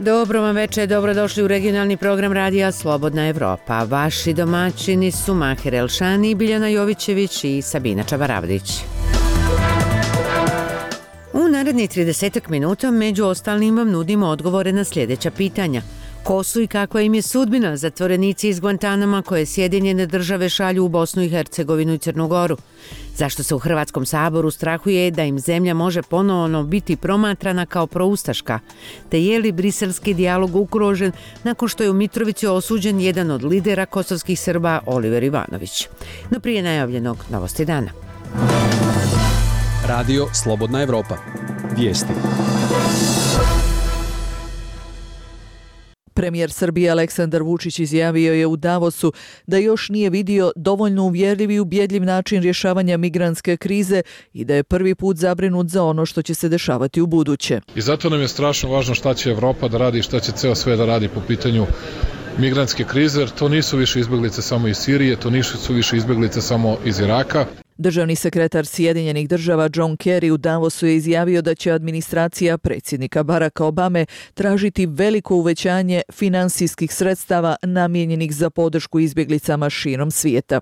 Dobro vam večer, dobrodošli u regionalni program Radija Slobodna Evropa. Vaši domaćini su Maher Elšani, Biljana Jovićević i Sabina Čabaravdić. U narednih 30 minuta među ostalim vam nudimo odgovore na sljedeća pitanja. Ko su i kakva im je sudbina zatvorenici iz Guantanama koje Sjedinjene države šalju u Bosnu i Hercegovinu i Crnu Goru? Zašto se u Hrvatskom saboru strahuje da im zemlja može ponovno biti promatrana kao proustaška? Te je li briselski dijalog ugrožen nakon što je u Mitrovici osuđen jedan od lidera kosovskih Srba, Oliver Ivanović? No prije najavljenog novosti dana. Radio Slobodna Evropa. Vijesti. Premijer Srbije Aleksandar Vučić izjavio je u Davosu da još nije vidio dovoljno uvjerljiv i ubjedljiv način rješavanja migrantske krize i da je prvi put zabrinut za ono što će se dešavati u buduće. I zato nam je strašno važno šta će Evropa da radi i šta će ceo svijet da radi po pitanju migrantske krize, jer to nisu više izbjeglice samo iz Sirije, to nisu više izbjeglice samo iz Iraka. Državni sekretar Sjedinjenih država John Kerry u Davosu je izjavio da će administracija predsjednika Baracka Obame tražiti veliko uvećanje finansijskih sredstava namijenjenih za podršku izbjeglicama širom svijeta.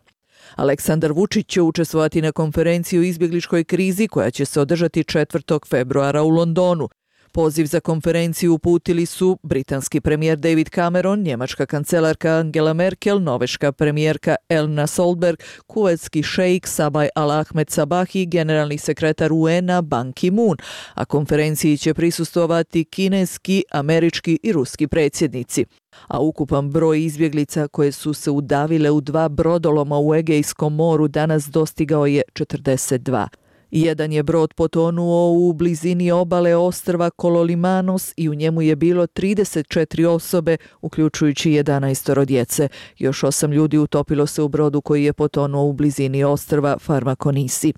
Aleksandar Vučić će učestvovati na konferenciji o izbjegličkoj krizi koja će se održati 4. februara u Londonu. Poziv za konferenciju uputili su britanski premijer David Cameron, njemačka kancelarka Angela Merkel, norveška premijerka Erna Solberg, kuvajtski šejk Sabaj Al Ahmed Sabah i generalni sekretar UN-a Ban Ki-moon, a konferenciji će prisustvovati kineski, američki i ruski predsjednici. A ukupan broj izbjeglica koje su se udavile u 2 brodoloma u Egejskom moru danas dostigao je 42. Jedan je brod potonuo u blizini obale ostrva Kololimanos i u njemu je bilo 34 osobe, uključujući 11 djece. Još 8 ljudi utopilo se u brodu koji je potonuo u blizini ostrva Farmakonisi.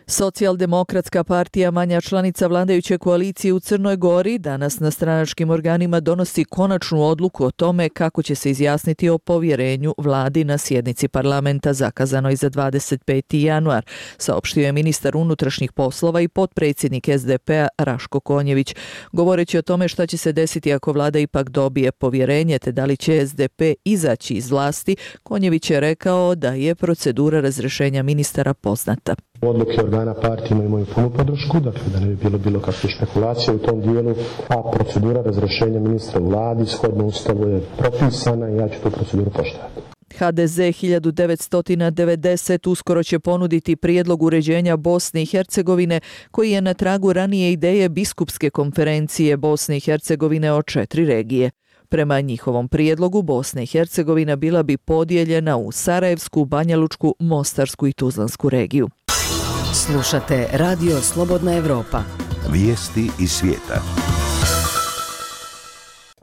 Socijaldemokratska partija, manja članica vladajuće koalicije u Crnoj Gori, danas na stranačkim organima donosi konačnu odluku o tome kako će se izjasniti o povjerenju vladi na sjednici parlamenta zakazanoj za 25. januar, saopštio je ministar unutrašnjih poslova i potpredsjednik SDP-a Raško Konjević. Govoreći o tome šta će se desiti ako vlada ipak dobije povjerenje te da li će SDP izaći iz vlasti, Konjević je rekao da je procedura razrješenja ministara poznata. Odluke organa partije imaju punu podršku, dakle da ne bi bilo kakve špekulacije u tom dijelu, a procedura razrješenja ministra u vladi shodno ustavu je propisana i ja ću tu proceduru poštovati. HDZ 1990 uskoro će ponuditi prijedlog uređenja Bosne i Hercegovine koji je na tragu ranije ideje biskupske konferencije Bosne i Hercegovine o 4 regije. Prema njihovom prijedlogu Bosna i Hercegovina bila bi podijeljena u Sarajevsku, Banjalučku, Mostarsku i Tuzlansku regiju. Slušate Radio Slobodna Evropa. Vijesti iz svijeta.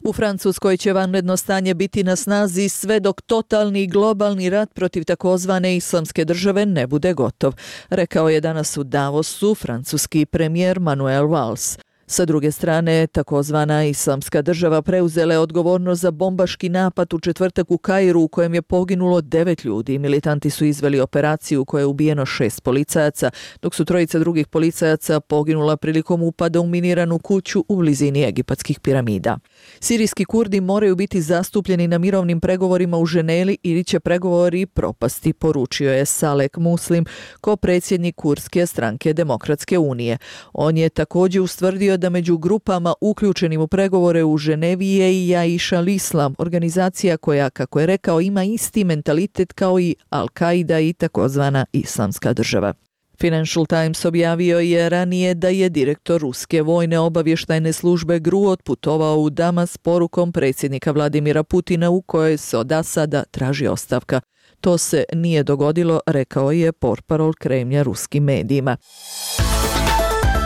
U Francuskoj će vanredno stanje biti na snazi sve dok totalni globalni rat protiv takozvane islamske države ne bude gotov, rekao je danas u Davosu francuski premijer Manuel Valls. Sa druge strane, takozvana islamska država preuzela je odgovornost za bombaški napad u četvrtak u Kairu u kojem je poginulo 9 ljudi. Militanti su izveli operaciju u kojoj je ubijeno 6 policajaca, dok su 3 drugih policajaca poginula prilikom upada u miniranu kuću u blizini egipatskih piramida. Sirijski Kurdi moraju biti zastupljeni na mirovnim pregovorima u Ženevi ili će pregovori propasti, poručio je Salek Muslim, ko-predsjednik kurdske stranke Demokratske unije. On je također ustvrdio da među grupama uključenim u pregovore u Ženevi je i Jaiš al-Islam, organizacija koja, kako je rekao, ima isti mentalitet kao i Al-Qaida i takozvana islamska država. Financial Times objavio je ranije da je direktor ruske vojne obavještajne službe GRU otputovao u Damas s porukom predsjednika Vladimira Putina u kojoj se od Asada traži ostavka. To se nije dogodilo, rekao je portparol Kremlja ruskim medijima.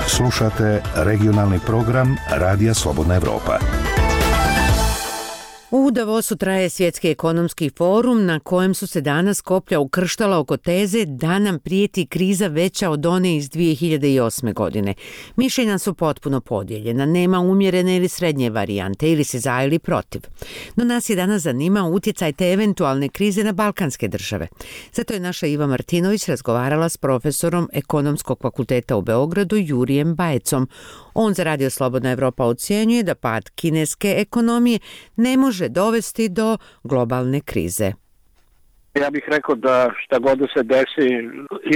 Slušate regionalni program Radija Slobodna Evropa. U Davosu traje Svjetski ekonomski forum na kojem su se danas koplja ukrštala oko teze da nam prijeti kriza veća od one iz 2008. godine. Mišljenja su potpuno podijeljena, nema umjerene ili srednje varijante, ili se za ili protiv. No nas je danas zanimao utjecaj te eventualne krize na balkanske države. Zato je naša Iva Martinović razgovarala s profesorom Ekonomskog fakulteta u Beogradu Jurijem Bajecom. On za Radio Slobodna Evropa ocjenjuje da pad kineske ekonomije ne može dovesti do globalne krize. Ja bih rekao da šta god da se desi,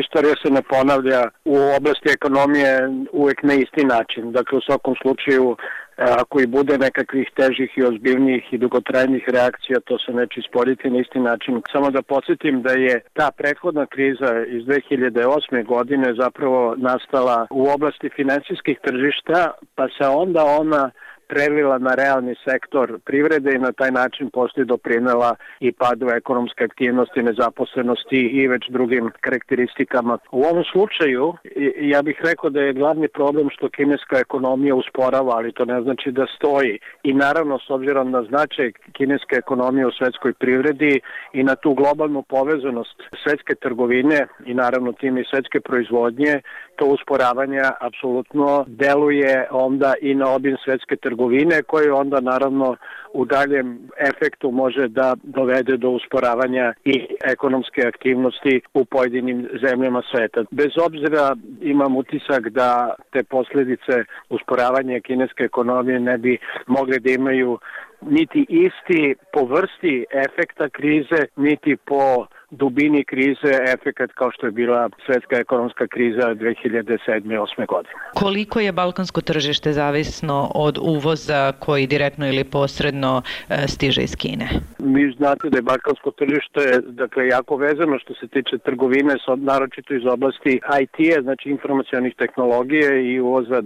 istorija se ne ponavlja u oblasti ekonomije uvijek na isti način. Dakle, u svakom slučaju, ako i bude nekakvih težih i ozbiljnijih i dugotrajnih reakcija, to se neće isporiti na isti način. Samo da podsjetim da je ta prethodna kriza iz 2008. godine zapravo nastala u oblasti finansijskih tržišta, pa se onda ona prelila na realni sektor privrede i na taj način poslije doprinela i padu ekonomske aktivnosti, nezaposlenosti i već drugim karakteristikama. U ovom slučaju ja bih rekao da je glavni problem što kineska ekonomija usporava, ali to ne znači da stoji. I naravno, s obzirom na značaj kineske ekonomije u svetskoj privredi i na tu globalnu povezanost svetske trgovine i naravno tim i svetske proizvodnje, to usporavanje apsolutno deluje onda i na obim svetske trgovine, koje onda naravno u daljem efektu može da dovede do usporavanja i ekonomske aktivnosti u pojedinim zemljama sveta. Bez obzira imam utisak da te posljedice usporavanja kineske ekonomije ne bi mogli da imaju niti isti po vrsti efekta krize, niti po dubini krize efekat kao što je bila svetska ekonomska kriza 2007-2008. godine. Koliko je balkansko tržište zavisno od uvoza koji direktno ili posredno stiže iz Kine? Vi znate da je balkansko tržište jako vezano što se tiče trgovine, naročito iz oblasti IT-a, znači informacionih tehnologije i uvoza,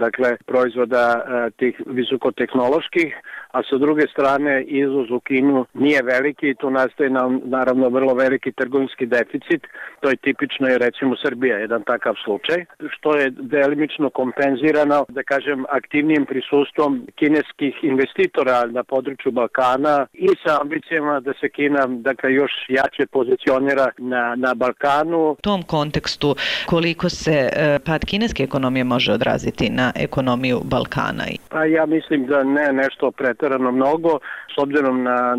proizvoda tih visokotehnoloških, a sa druge strane izvoz u Kinu nije veliki i tu nastaje naravno vrlo veliki trgovinski deficit. To je tipično i recimo Srbija, jedan takav slučaj, što je delimično kompenzirano, aktivnijim prisustvom kineskih investitora na području Balkana i sa ambicijama da se Kina još jače pozicionira na Balkanu. U tom kontekstu koliko se pad kineske ekonomije može odraziti na ekonomiju Balkana? Pa ja mislim da ne nešto preterano mnogo, s obzirom na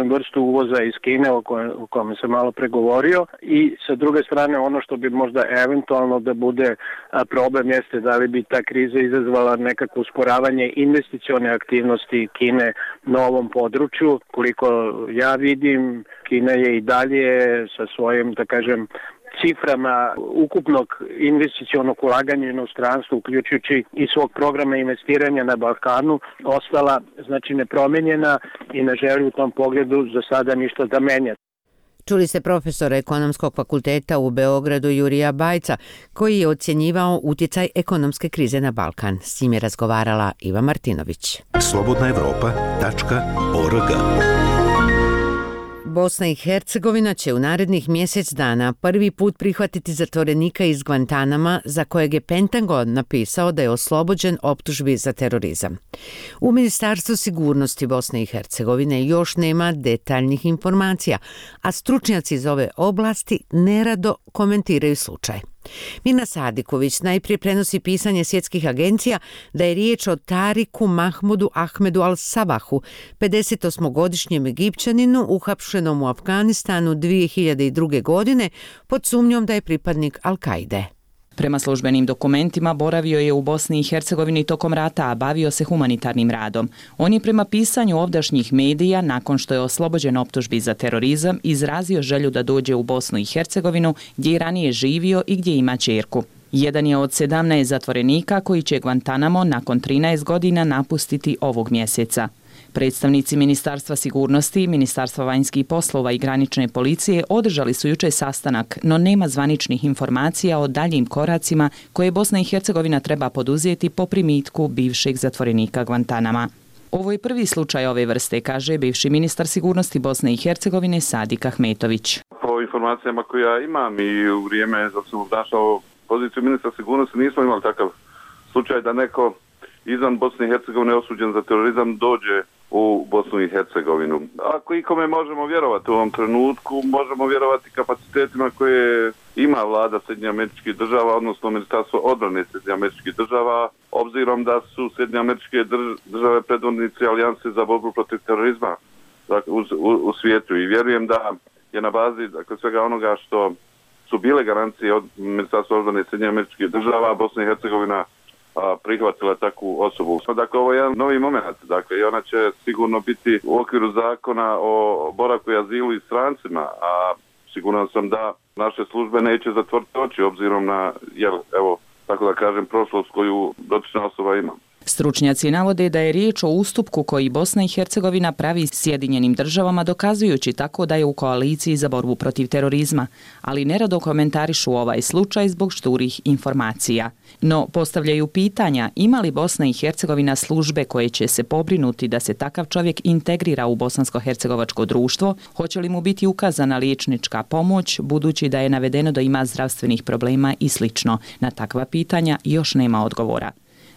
vrstu uvoza iz Kine o kome sam malo pregovorio, i sa druge strane ono što bi možda eventualno da bude problem jeste da li bi ta kriza izazvala nekakvo usporavanje investicione aktivnosti Kine na ovom području. Koliko ja vidim, Kina je i dalje sa svojim ciframa ukupnog investicionog ulaganja u inostranstvu, uključujući i svog programa investiranja na Balkanu, ostala nepromenjena i ne želi u tom pogledu za sada ništa da menja. Čuli ste profesora Ekonomskog fakulteta u Beogradu Jurija Bajca, koji je ocjenjivao utjecaj ekonomske krize na Balkan. S njim je razgovarala Iva Martinović. slobodnaevropa.org. Bosna i Hercegovina će u narednih mjesec dana prvi put prihvatiti zatvorenika iz Guantanama za kojeg je Pentagon napisao da je oslobođen optužbi za terorizam. U Ministarstvu sigurnosti Bosne i Hercegovine još nema detaljnih informacija, a stručnjaci iz ove oblasti nerado komentiraju slučaj. Mina Sadiković najprije prenosi pisanje svjetskih agencija da je riječ o Tariku Mahmudu Ahmedu al-Sabahu, 58-godišnjem Egipćaninu uhapšenom u Afganistanu 2002. godine pod sumnjom da je pripadnik Al-Kaide. Prema službenim dokumentima boravio je u Bosni i Hercegovini tokom rata, a bavio se humanitarnim radom. On je prema pisanju ovdašnjih medija, nakon što je oslobođen optužbi za terorizam, izrazio želju da dođe u Bosnu i Hercegovinu, gdje je ranije živio i gdje ima ćerku. Jedan je od 17 zatvorenika koji će Guantanamo nakon 13 godina napustiti ovog mjeseca. Predstavnici Ministarstva sigurnosti, Ministarstva vanjskih poslova i granične policije održali su jučer sastanak, no nema zvaničnih informacija o daljim koracima koje Bosna i Hercegovina treba poduzeti po primitku bivšeg zatvorenika Guantanama. Ovo je prvi slučaj ove vrste, kaže bivši ministar sigurnosti Bosne i Hercegovine Sadik Ahmetović. Po informacijama koje ja imam i u vrijeme dok sam obnašao poziciju ministra sigurnosti nismo imali takav slučaj da neko izvan Bosne i Hercegovine osuđen za terorizam dođe u Bosnu i Hercegovinu. Ako ikome možemo vjerovati u ovom trenutku, možemo vjerovati kapacitetima koje ima vlada Sjedinjenih Američkih Država, odnosno Ministarstvo odbrane Sjedinjenih Američkih Država, obzirom da su Sjedinjene Američke Države predvodnici alijanse za borbu protiv terorizma u svijetu, i vjerujem da je na bazi svega onoga što su bile garancije od Ministarstva odbrane Sjedinjenih Američkih Država, Bosna i Hercegovina prihvatila takvu osobu. Dakle, ovo je jedan novi moment, i ona će sigurno biti u okviru zakona o boravku i azilu i strancima, a siguran sam da naše službe neće zatvoriti oči obzirom na, prošlost koju dotična osoba ima. Stručnjaci navode da je riječ o ustupku koji Bosna i Hercegovina pravi Sjedinjenim Državama, dokazujući tako da je u koaliciji za borbu protiv terorizma, ali nerado komentarišu ovaj slučaj zbog šturih informacija. No, postavljaju pitanja ima li Bosna i Hercegovina službe koje će se pobrinuti da se takav čovjek integrira u bosansko-hercegovačko društvo, hoće li mu biti ukazana liječnička pomoć, budući da je navedeno da ima zdravstvenih problema i sl. Na takva pitanja još nema odgovora.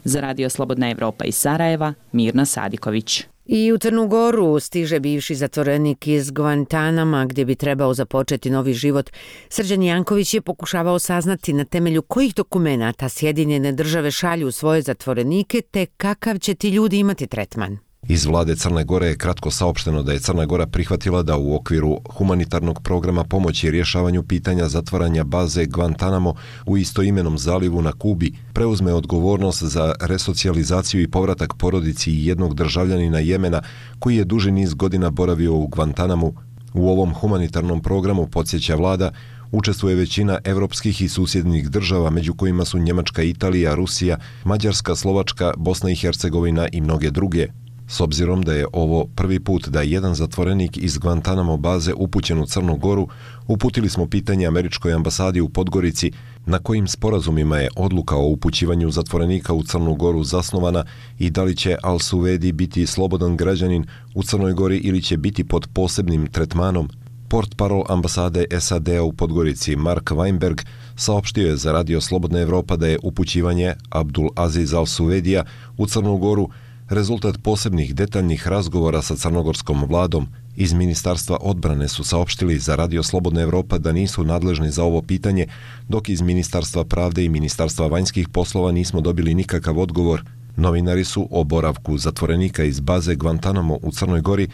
Za Radio Slobodna Evropa iz Sarajeva, Mirna Sadiković. I u Crnu Goru stiže bivši zatvorenik iz Guantanama gdje bi trebao započeti novi život. Srđan Janković je pokušavao saznati na temelju kojih dokumenata Sjedinjene Države šalju svoje zatvorenike te kakav će ti ljudi imati tretman. Iz vlade Crne Gore je kratko saopšteno da je Crna Gora prihvatila da u okviru humanitarnog programa pomoći rješavanju pitanja zatvaranja baze Guantanamo u istoimenom zalivu na Kubi preuzme odgovornost za resocijalizaciju i povratak porodici jednog državljanina Jemena koji je duži niz godina boravio u Guantanamu. U ovom humanitarnom programu, podsjeća vlada, učestvuje većina evropskih i susjednih država, među kojima su Njemačka, Italija, Rusija, Mađarska, Slovačka, Bosna i Hercegovina i mnoge druge. S obzirom da je ovo prvi put da je jedan zatvorenik iz Guantanamo baze upućen u Crnu Goru, uputili smo pitanje američkoj ambasadi u Podgorici na kojim sporazumima je odluka o upućivanju zatvorenika u Crnu Goru zasnovana i da li će Al-Suvedi biti slobodan građanin u Crnoj Gori ili će biti pod posebnim tretmanom. Portparol ambasade SAD-a u Podgorici Mark Weinberg saopštio je za Radio Slobodna Evropa da je upućivanje Abdul Aziz Al-Suvedija u Crnu Goru rezultat posebnih detaljnih razgovora sa crnogorskom vladom. Iz Ministarstva odbrane su saopštili za Radio Slobodna Evropa da nisu nadležni za ovo pitanje, dok iz Ministarstva pravde i Ministarstva vanjskih poslova nismo dobili nikakav odgovor. Novinari su o boravku zatvorenika iz baze Guantanamo u Crnoj Gori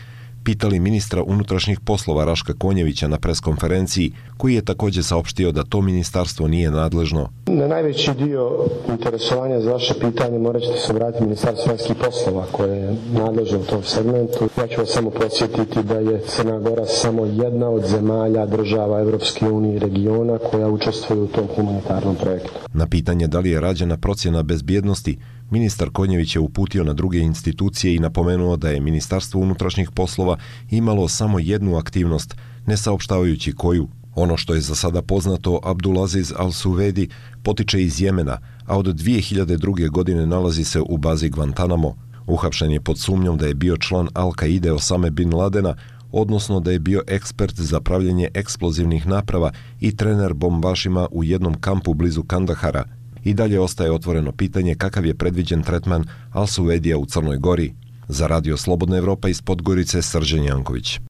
pitali ministra unutrašnjih poslova Raška Konjevića na preskonferenciji, koji je također saopštio da to ministarstvo nije nadležno. Na najveći dio interesovanja za vaše pitanje morat ćete se vratiti Ministarstvo vanjskih poslova koje je nadležno u tom segmentu. Ja ću vas samo podsjetiti da je Crna Gora samo jedna od zemalja država Evropske unije i regiona koja učestvuje u tom humanitarnom projektu. Na pitanje da li je rađena procjena bezbjednosti, ministar Konjević je uputio na druge institucije i napomenuo da je Ministarstvo unutrašnjih poslova imalo samo jednu aktivnost, ne saopštavajući koju. Ono što je za sada poznato, Abdulaziz Al-Suvedi potiče iz Jemena, a od 2002. godine nalazi se u bazi Guantanamo. Uhapšen je pod sumnjom da je bio član Al-Kaide Osame bin Ladena, odnosno da je bio ekspert za pravljenje eksplozivnih naprava i trener bombašima u jednom kampu blizu Kandahara. I dalje ostaje otvoreno pitanje kakav je predviđen tretman Al-Suvedija u Crnoj Gori. Za Radio Slobodna Evropa iz Podgorice, Srđan Janković.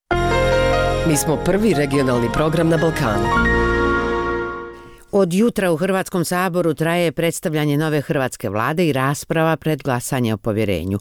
Mi smo prvi regionalni program na Balkanu. Od jutra u Hrvatskom saboru traje predstavljanje nove hrvatske vlade i rasprava pred glasanje o povjerenju.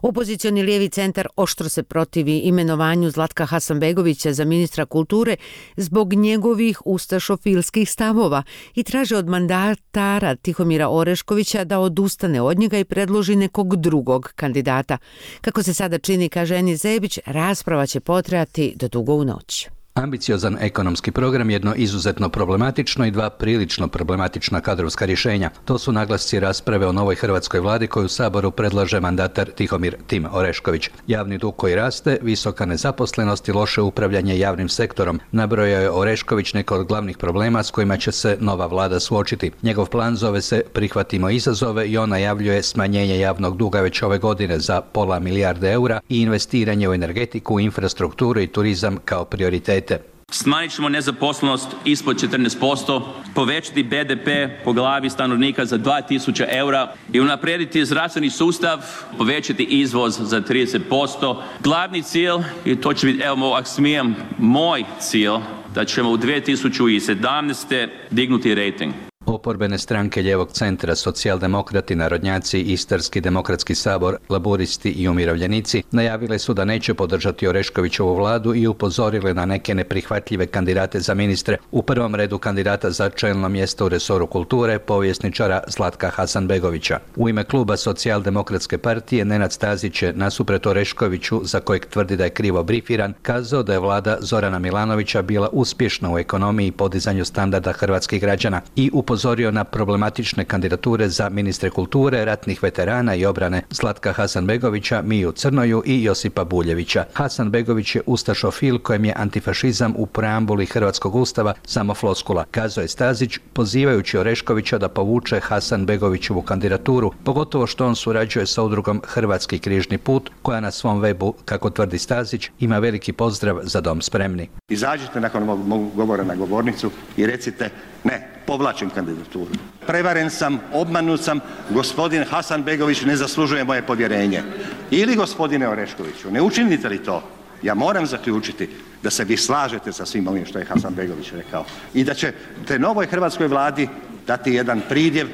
Opozicioni lijevi centar oštro se protivi imenovanju Zlatka Hasanbegovića za ministra kulture zbog njegovih ustašofilskih stavova i traže od mandatara Tihomira Oreškovića da odustane od njega i predloži nekog drugog kandidata. Kako se sada čini, kaže Enis Zebić, rasprava će potrajati do dugo u noć. Ambiciozan ekonomski program, jedno izuzetno problematično i dva prilično problematična kadrovska rješenja. To su naglasci rasprave o novoj hrvatskoj vladi koju u Saboru predlaže mandatar Tihomir Tim Orešković. Javni dug koji raste, visoka nezaposlenost i loše upravljanje javnim sektorom. Nabrojao je Orešković neke od glavnih problema s kojima će se nova vlada suočiti. Njegov plan zove se Prihvatimo izazove i on najavljuje smanjenje javnog duga već ove godine za £500 milijarde eura i investiranje u energetiku, infrastrukturu i turizam kao prioritete. Smanjit ćemo nezaposlenost ispod 14%, povećati BDP po glavi stanovnika za 2000 eura i unaprijediti zdravstveni sustav, povećati izvoz za 30%. Glavni cilj, i to će biti, evo ako smijem, moj cilj, da ćemo u 2017. dignuti rejting. Oporbene stranke ljevog centra, socijaldemokrati, narodnjaci, Istarski demokratski sabor, laburisti i umirovljenici najavile su da neće podržati Oreškovićevu vladu i upozorile na neke neprihvatljive kandidate za ministre, u prvom redu kandidata za čelno mjesto u resoru kulture, povjesničara Zlatka Hasanbegovića. U ime kluba Socijaldemokratske partije Nenad Stazić je nasuprot Oreškoviću, za kojeg tvrdi da je krivo brifiran, kazao da je vlada Zorana Milanovića bila uspješna u ekonomiji i podizanju standarda hrvatskih građana i upozorio na problematične kandidature za ministre kulture, ratnih veterana i obrane Zlatka Hasanbegovića, Miju Crnoju i Josipa Buljevića. Hasanbegović je ustašofil kojem je antifašizam u preambuli Hrvatskog ustava samo floskula, kazao je Stazić, pozivajući Oreškovića da povuče Hasanbegovićevu kandidaturu, pogotovo što on surađuje sa udrugom Hrvatski križni put, koja na svom webu, kako tvrdi Stazić, ima veliki pozdrav za Dom spremni. Izađite nakon mog govora na govornicu i recite ne, povlačim kandidaturu. Prevaren sam, obmanut sam, gospodin Hasanbegović ne zaslužuje moje povjerenje. Ili gospodine Oreškoviću, ne učinite li to? Ja moram zaključiti da se vi slažete sa svim ovim što je Hasanbegović rekao i da ćete novoj hrvatskoj vladi dati jedan pridjev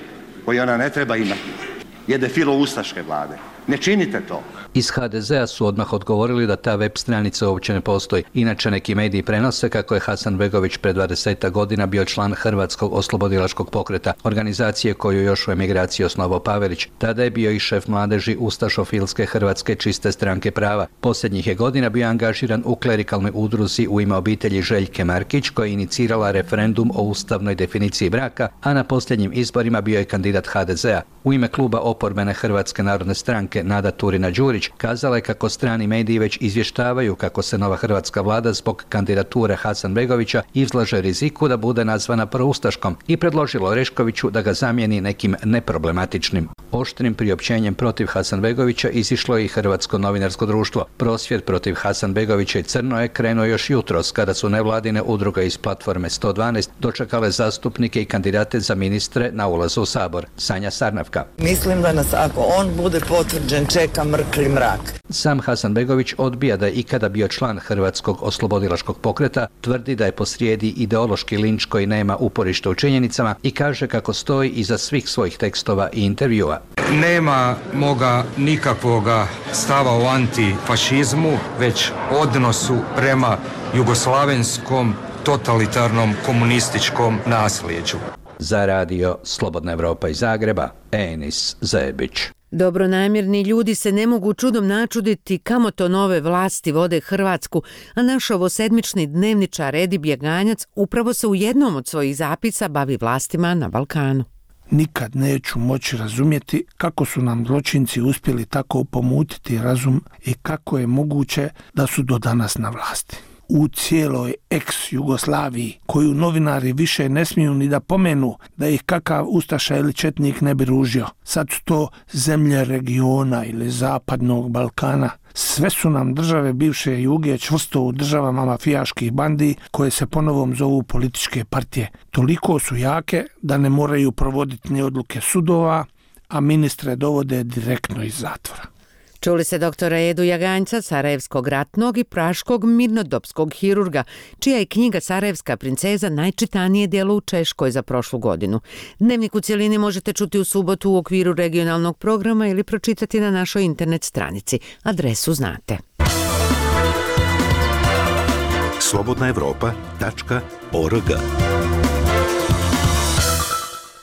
koji ona ne treba imati. Jedne filoustaške vlade. Ne činite to. Iz HDZ-a su odmah odgovorili da ta web stranica uopće ne postoji. Inače neki mediji prenose kako je Hasanbegović pred 20 godina bio član Hrvatskog oslobodilačkog pokreta, organizacije koju još u emigraciji osnovao Pavelić. Tada je bio i šef mladeži ustašofilske Hrvatske čiste stranke prava. Posljednjih je godina bio angažiran u klerikalnoj udruzi u ime obitelji Željke Markić, koja je inicirala referendum o ustavnoj definiciji braka, a na posljednjim izborima bio je kandidat HDZ-a. U ime kluba oporbene Hrvatske narodne stranke Nada Turina-Đurić kazala je kako strani mediji već izvještavaju kako se nova hrvatska vlada zbog kandidature Hasanbegovića izlaže riziku da bude nazvana proustaškom i predložila Oreškoviću da ga zamijeni nekim neproblematičnim. Oštrim priopćenjem protiv Hasanbegovića izišlo je i Hrvatsko novinarsko društvo. Prosvjed protiv Hasanbegovića i Crnoje krenuo još jutros kada su nevladine udruge iz platforme 112 dočekale zastupnike i kandidate za ministre na ulazu u Sabor. Sanja Sarnavka. Mislim da nas ako on bude potvrđen čeka mrkli mrak. Sam Hasanbegović odbija da je ikada bio član Hrvatskog oslobodilačkog pokreta, tvrdi da je posrijedi ideološki linč koji nema uporište u činjenicama i kaže kako stoji iza svih svojih tekstova i intervjua. Nema moga nikakvoga stava o antifašizmu, već odnosu prema jugoslavenskom totalitarnom komunističkom nasljeđu. Za radio Slobodna Evropa iz Zagreba, Enis Zebić. Dobronamjerni ljudi se ne mogu čudom načuditi kamo to nove vlasti vode Hrvatsku, a naš ovosedmični dnevničar Edi Bjeganjac upravo se u jednom od svojih zapisa bavi vlastima na Balkanu. Nikad neću moći razumjeti kako su nam zločinci uspjeli tako pomutiti razum i kako je moguće da su do danas na vlasti. U cijeloj ex-Jugoslaviji, koju novinari više ne smiju ni da pomenu da ih kakav ustaša ili četnik ne bi ružio. Sad su to zemlje regiona ili zapadnog Balkana. Sve su nam države bivše Juge čvrsto u državama mafijaških bandi koje se ponovom zovu političke partije. Toliko su jake da ne moraju provoditi ni odluke sudova, a ministre dovode direktno iz zatvora. Čuli se doktora Edu Jaganjca, sarajevskog ratnog i praškog mirnodopskog hirurga, čija je knjiga Sarajevska princeza najčitanije djelo u Češkoj za prošlu godinu. Dnevnik u cjelini možete čuti u subotu u okviru regionalnog programa ili pročitati na našoj internet stranici. Adresu znate. slobodnaevropa.org.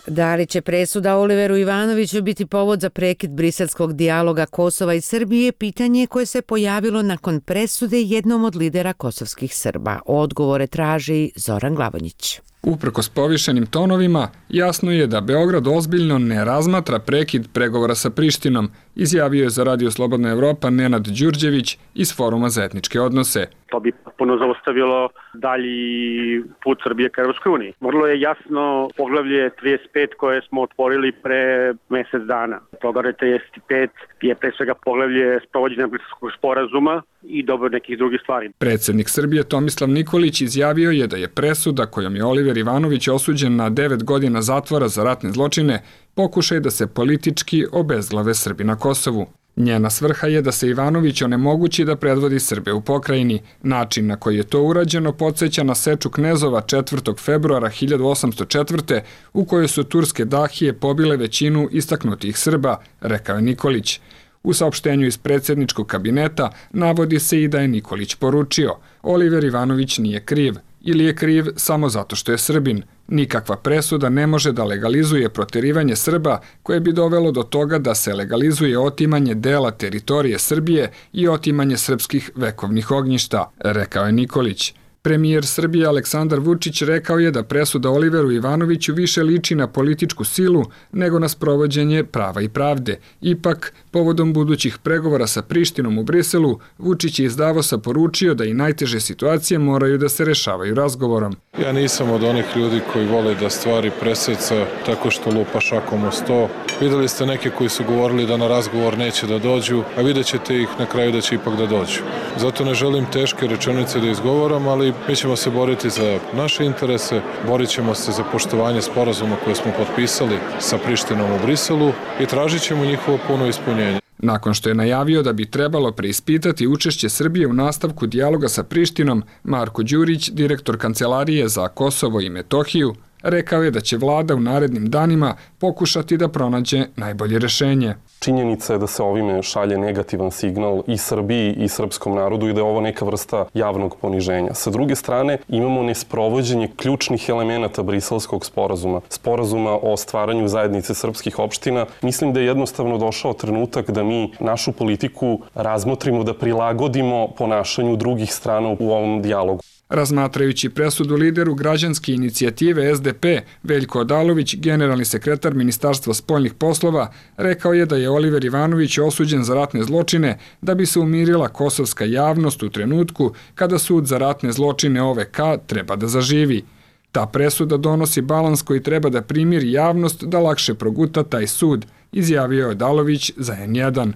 Da li će presuda Oliveru Ivanoviću biti povod za prekid briselskog dijaloga Kosova i Srbije, pitanje koje se pojavilo nakon presude jednom od lidera kosovskih Srba. Odgovore traži Zoran Glavonjić. Uprkos povišenim tonovima, jasno je da Beograd ozbiljno ne razmatra prekid pregovora sa Prištinom, izjavio je za Radio Slobodna Evropa Nenad Đurđević iz Foruma za etničke odnose. To bi potpuno zaustavilo dalji put Srbije ka Evropskoj uniji. Vrlo je jasno poglavlje 35 koje smo otvorili pre mesec dana. Poglavlje 35 je pre svega poglavlje sprovođenja Briselskog sporazuma i dobro nekih drugih stvari. Predsjednik Srbije Tomislav Nikolić izjavio je da je presuda kojom je Oliver Ivanović osuđen na 9 godina zatvora za ratne zločine pokušaj da se politički obezglave Srbi na Kosovu. Njena svrha je da se Ivanović onemogući da predvodi Srbe u pokrajini. Način na koji je to urađeno podsjeća na seču Knezova 4. februara 1804. u kojoj su turske dahije pobile većinu istaknutih Srba, rekao je Nikolić. U saopštenju iz predsjedničkog kabineta navodi se i da je Nikolić poručio: Oliver Ivanović nije kriv ili je kriv samo zato što je Srbin. Nikakva presuda ne može da legalizuje proterivanje Srba koje bi dovelo do toga da se legalizuje otimanje dela teritorije Srbije i otimanje srpskih vekovnih ognjišta, rekao je Nikolić. Premijer Srbije Aleksandar Vučić rekao je da presuda Oliveru Ivanoviću više liči na političku silu nego na sprovođenje prava i pravde. Ipak, povodom budućih pregovora sa Prištinom u Briselu, Vučić je iz Davosa poručio da i najteže situacije moraju da se rešavaju razgovorom. Ja nisam od onih ljudi koji vole da stvari preseca tako što lupa šakom o sto. Videli ste neke koji su govorili da na razgovor neće da dođu, a vidjet ćete ih na kraju da će ipak da dođu. Zato ne želim teške rečenice da izgovaram, ali mi ćemo se boriti za naše interese, borit ćemo se za poštovanje sporazuma koje smo potpisali sa Prištinom u Briselu i tražit ćemo njihovo puno ispunjenje. Nakon što je najavio da bi trebalo preispitati učešće Srbije u nastavku dijaloga sa Prištinom, Marko Đurić, direktor Kancelarije za Kosovo i Metohiju, rekao je da će vlada u narednim danima pokušati da pronađe najbolje rešenje. Činjenica je da se ovime šalje negativan signal i Srbiji i srpskom narodu i da je ovo neka vrsta javnog poniženja. Sa druge strane, imamo nesprovođenje ključnih elemenata Briselskog sporazuma, sporazuma o stvaranju zajednice srpskih opština. Mislim da je jednostavno došao trenutak da mi našu politiku razmotrimo, da prilagodimo ponašanju drugih strana u ovom dijalogu. Razmatrajući presudu lideru građanske inicijative SDP, Veljko Odalović, generalni sekretar Ministarstva spoljnih poslova, rekao je da je Oliver Ivanović osuđen za ratne zločine da bi se umirila kosovska javnost u trenutku kada sud za ratne zločine OVK treba da zaživi. Ta presuda donosi balans koji treba da primiri javnost da lakše proguta taj sud, izjavio je Odalović za N1.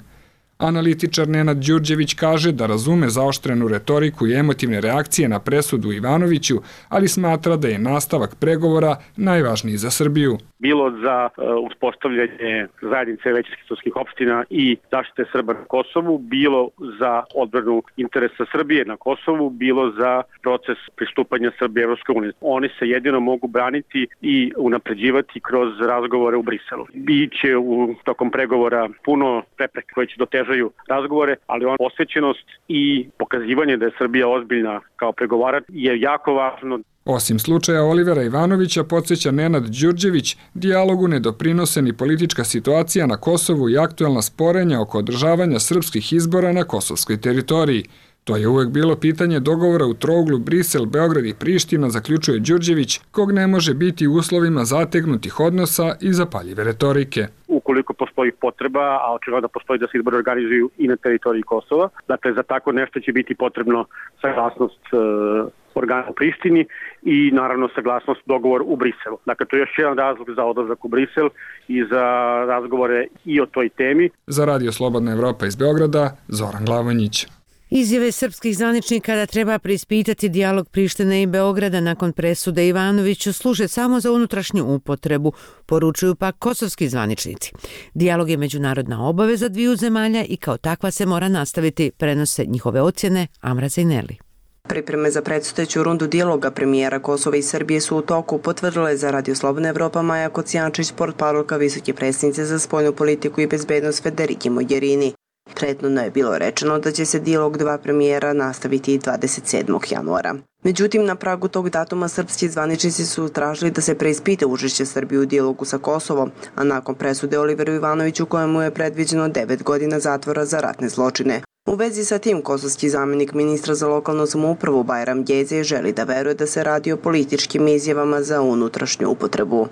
Analitičar Nenad Đurđević kaže da razume zaoštrenu retoriku i emotivne reakcije na presudu Ivanoviću, ali smatra da je nastavak pregovora najvažniji za Srbiju. Bilo za uspostavljanje zajednice većinskih srpskih opština i zaštite Srba na Kosovu, bilo za odbranu interesa Srbije na Kosovu, bilo za proces pristupanja Srbije Evropskoj uniji. Oni se jedino mogu braniti i unapređivati kroz razgovore u Briselu. Biće tokom pregovora puno prepreka koje će dotežaju razgovore, ali posvećenost i pokazivanje da je Srbija ozbiljna kao pregovarač je jako važno. Osim slučaja Olivera Ivanovića, podsjeća Nenad Đurđević, dijalogu ne doprinose ni politička situacija na Kosovu i aktuelna sporenja oko održavanja srpskih izbora na kosovskoj teritoriji. To je uvek bilo pitanje dogovora u trouglu Brisel, Beograd i Priština, zaključuje Đurđević, kog ne može biti u uslovima zategnutih odnosa i zapaljive retorike. Ukoliko postoji potreba, a očigledno da postoji da se izbori organizuju i na teritoriji Kosova, dakle za tako nešto će biti potrebno saglasnost organa u Prištini i naravno saglasnost dogovor u Briselu. Dakle, to je još jedan razlog za odlazak u Brisel i za razgovore i o toj temi. Za Radio Slobodna Evropa iz Beograda, Zoran Glavonjić. Izjave srpskih zvaničnika da treba preispitati dijalog Prištine i Beograda nakon presude Ivanoviću služe samo za unutrašnju upotrebu, poručuju pak kosovski zvaničnici. Dijalog je međunarodna obaveza dviju zemalja i kao takva se mora nastaviti, prenose njihove ocjene Amra Zajneli. Pripreme za predstojeću rundu dijaloga premijera Kosova i Srbije su u toku, potvrdila je za Radio Slobodna Evropa Maja Kocijančić, portparolka visoke predsjednice za spoljnu politiku i bezbednost Federike Mogherini. Prethodno je bilo rečeno da će se dijalog dva premijera nastaviti 27. januara. Međutim, na pragu tog datuma srpski zvaničnici su tražili da se preispita učešće Srbije u dijalogu sa Kosovom, a nakon presude Oliveru Ivanoviću kojemu je predviđeno 9 godina zatvora za ratne zločine. U vezi sa tim, kosovski zamjenik ministra za lokalnu samoupravu Bajram Gjeze želi da veruje da se radi o političkim izjavama za unutrašnju upotrebu.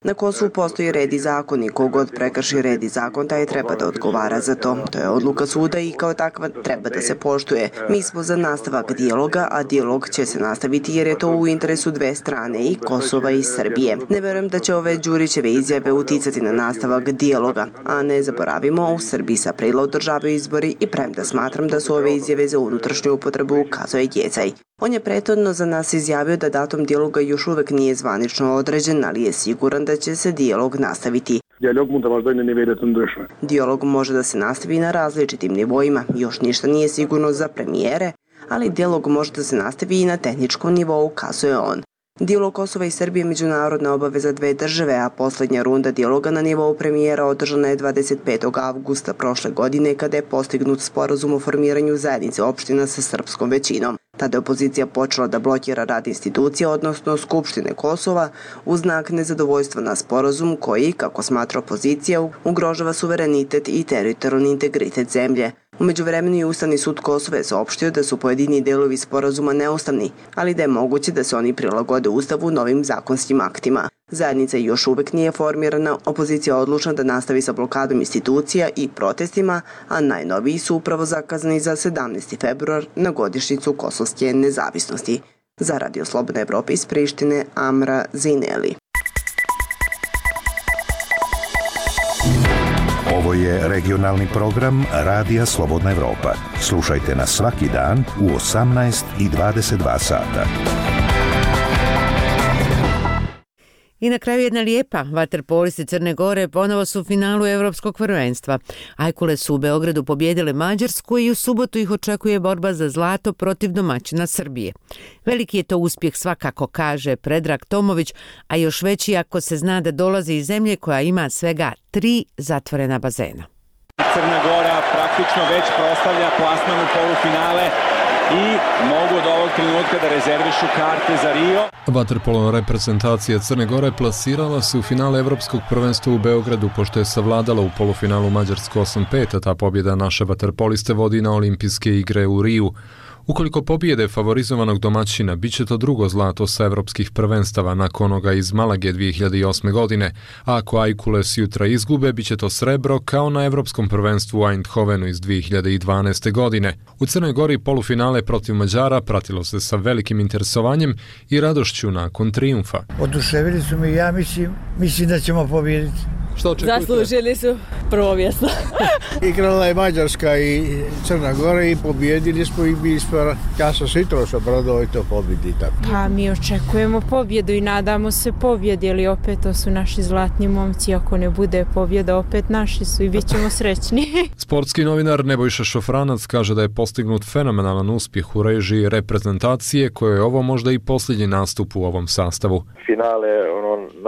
Na Kosovu postoji red i zakon i kogod prekrši red i zakon, taj treba da odgovara za to. To je odluka suda i kao takva treba da se poštuje. Mi smo za nastavak dijaloga, a dijalog će se nastaviti jer je to u interesu dve strane, i Kosova i Srbije. Ne verujem da će ove Đurićeve izjave uticati na nastavak dijaloga, a ne zaboravimo, u Srbiji se aprila održavaju izbori i premda smatram da su ove izjave za unutrašnju upotrebu, ukazuje Gjecaj. On je prethodno za nas izjavio da datum dijaloga još uvek nije zvanično određen, ali je siguran da će se dijalog nastaviti. Dijalog može da se nastavi na različitim nivoima, još ništa nije sigurno za premijere, ali dijalog može da se nastavi i na tehničkom nivou, ukazuje on. Dijalog Kosova i Srbije je međunarodna obaveza dve države, a poslednja runda dijaloga na nivou premijera održana je 25. avgusta prošle godine kada je postignut sporazum o formiranju zajednice opština sa srpskom većinom. Tada je opozicija počela da blokira rad institucija, odnosno Skupštine Kosova, uz znak nezadovoljstva na sporazum koji, kako smatra opozicija, ugrožava suverenitet i teritorijalni integritet zemlje. U međuvremenu je Ustavni sud Kosova je saopštio da su pojedini delovi sporazuma neustavni, ali da je moguće da se oni prilagode Ustavu novim zakonskim aktima. Zajednica još uvek nije formirana, opozicija je odlučna da nastavi sa blokadom institucija i protestima, a najnoviji su upravo zakazani za 17. februar na godišnjicu kosovske nezavisnosti. Za Radio Slobodna Evropa iz Prištine, Amra Zineli. Ovo je regionalni program Radija Slobodna Evropa. Slušajte nas svaki dan u 18 i 22 sata. I na kraju jedna lijepa. Vaterpolisti Crne Gore ponovo su u finalu Evropskog prvenstva. Ajkule su u Beogradu pobjedile Mađarsku i u subotu ih očekuje borba za zlato protiv domaćina Srbije. Veliki je to uspjeh svakako, kaže Predrag Tomović, a još veći ako se zna da dolazi iz zemlje koja ima svega 3 zatvorena bazena. Crna Gora praktično već proslavlja plasman u polufinale i mogu od ovog trenutka da rezervišu karte za Rio. Vaterpolo reprezentacija Crne Gore plasirala se u finale Evropskog prvenstva u Beogradu pošto je savladala u polufinalu Mađarsku 8-5, a ta pobjeda naše vaterpoliste vodi na olimpijske igre u Riju. Ukoliko pobjede favorizovanog domaćina, bit će to drugo zlato sa evropskih prvenstava nakon onoga iz Malage 2008. godine, a ako Ajkules jutra izgube, bit će to srebro kao na evropskom prvenstvu u Eindhovenu iz 2012. godine. U Crnoj Gori polufinale protiv Mađara pratilo se sa velikim interesovanjem i radošću nakon trijumfa. Oduševili su mi, ja mislim da ćemo pobjediti. Što očekujete? Zaslužili su prvo mjesto. Igrala je Mađarska i Crna Gora i pobjedili smo i mi smo, ja sam se jutros obradovao i to pobjedi. Pa mi očekujemo pobjedu i nadamo se pobjedi, ali opet to su naši zlatni momci, ako ne bude pobjeda opet naši su i bit ćemo srećni. Sportski novinar Nebojša Šofranac kaže da je postignut fenomenalan uspjeh u režiji reprezentacije koje je ovo možda i posljednji nastup u ovom sastavu. Finale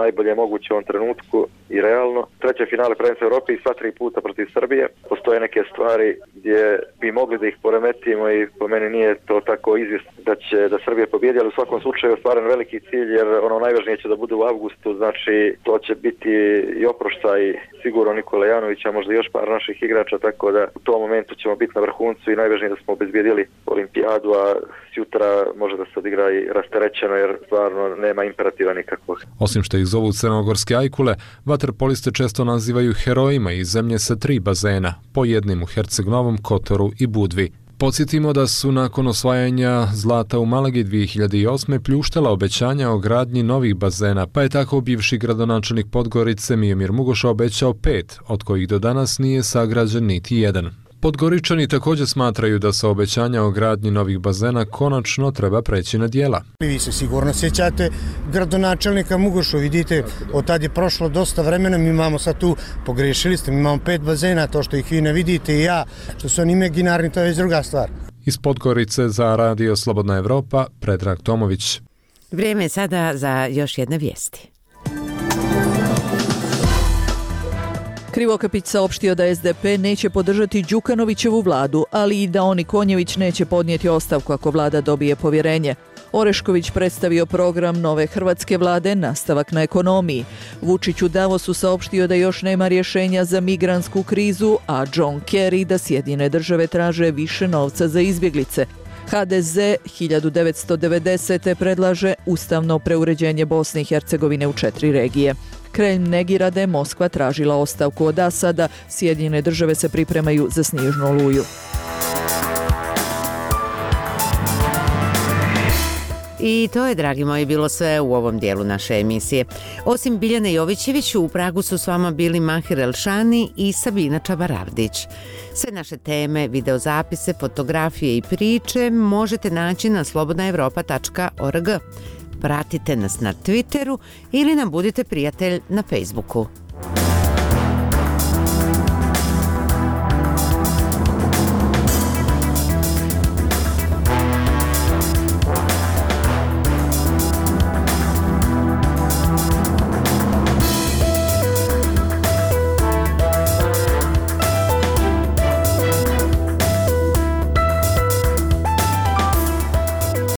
najbolje moguće u ovom trenutku i realno. Treće finale prvenstva Evrope i sva 3 puta protiv Srbije. Postoje neke stvari gdje bi mogli da ih poremetimo i po meni nije to tako izvjesno da Srbija pobjedi, ali u svakom slučaju je ostvaren veliki cilj jer najvažnije će da bude u avgustu, znači to će biti i oproštaj sigurno Nikola Janovića, možda još par naših igrača, tako da u tom momentu ćemo biti na vrhuncu i najvažnije da smo obezbijedili olimpijadu, a sutra može da se odigra i rasterećeno jer stvarno nema imperativa nikakvog. Osim što ih zovu crnogorske ajkule, vaterpoliste često nazivaju herojima iz zemlje sa 3 bazena, po jednim u Herceg-Novom, Kotoru i Budvi. Podsjetimo da su nakon osvajanja zlata u Malagi 2008. pljuštala obećanja o gradnji novih bazena, pa je tako bivši gradonačelnik Podgorice Miomir Mugoša obećao 5, od kojih do danas nije sagrađen niti jedan. Podgoričani također smatraju da sa obećanja o gradnji novih bazena konačno treba preći na djela. Vi se sigurno sjećate gradonačelnika Mugošu, vidite, od tad je prošlo dosta vremena, mi imamo sad tu, pogrešili ste, mi imamo 5 bazena, to što ih vi ne vidite i ja, što su oni imaginarni, to je već druga stvar. Iz Podgorice za Radio Slobodna Evropa, Predrag Tomović. Vrijeme je sada za još jedne vijesti. Krivokapić saopštio da SDP neće podržati Đukanovićevu vladu, ali i da Oni Konjević neće podnijeti ostavku ako vlada dobije povjerenje. Orešković predstavio program nove hrvatske vlade Nastavak na ekonomiji. Vučić u Davosu saopštio da još nema rješenja za migrantsku krizu, a John Kerry da Sjedinjene države traže više novca za izbjeglice. HDZ 1990. predlaže ustavno preuređenje Bosne i Hercegovine u 4 regije. Kremlj negira da je Moskva tražila ostavku od Asada, Sjedinjene države se pripremaju za snježnu oluju. I to je, dragi moji, bilo sve u ovom dijelu naše emisije. Osim Biljane Jovićević, u Pragu su s vama bili Mahir Elšani i Sabina Čabaravdić. Sve naše teme, videozapise, fotografije i priče možete naći na slobodnaevropa.org. Pratite nas na Twitteru ili nam budite prijatelj na Facebooku.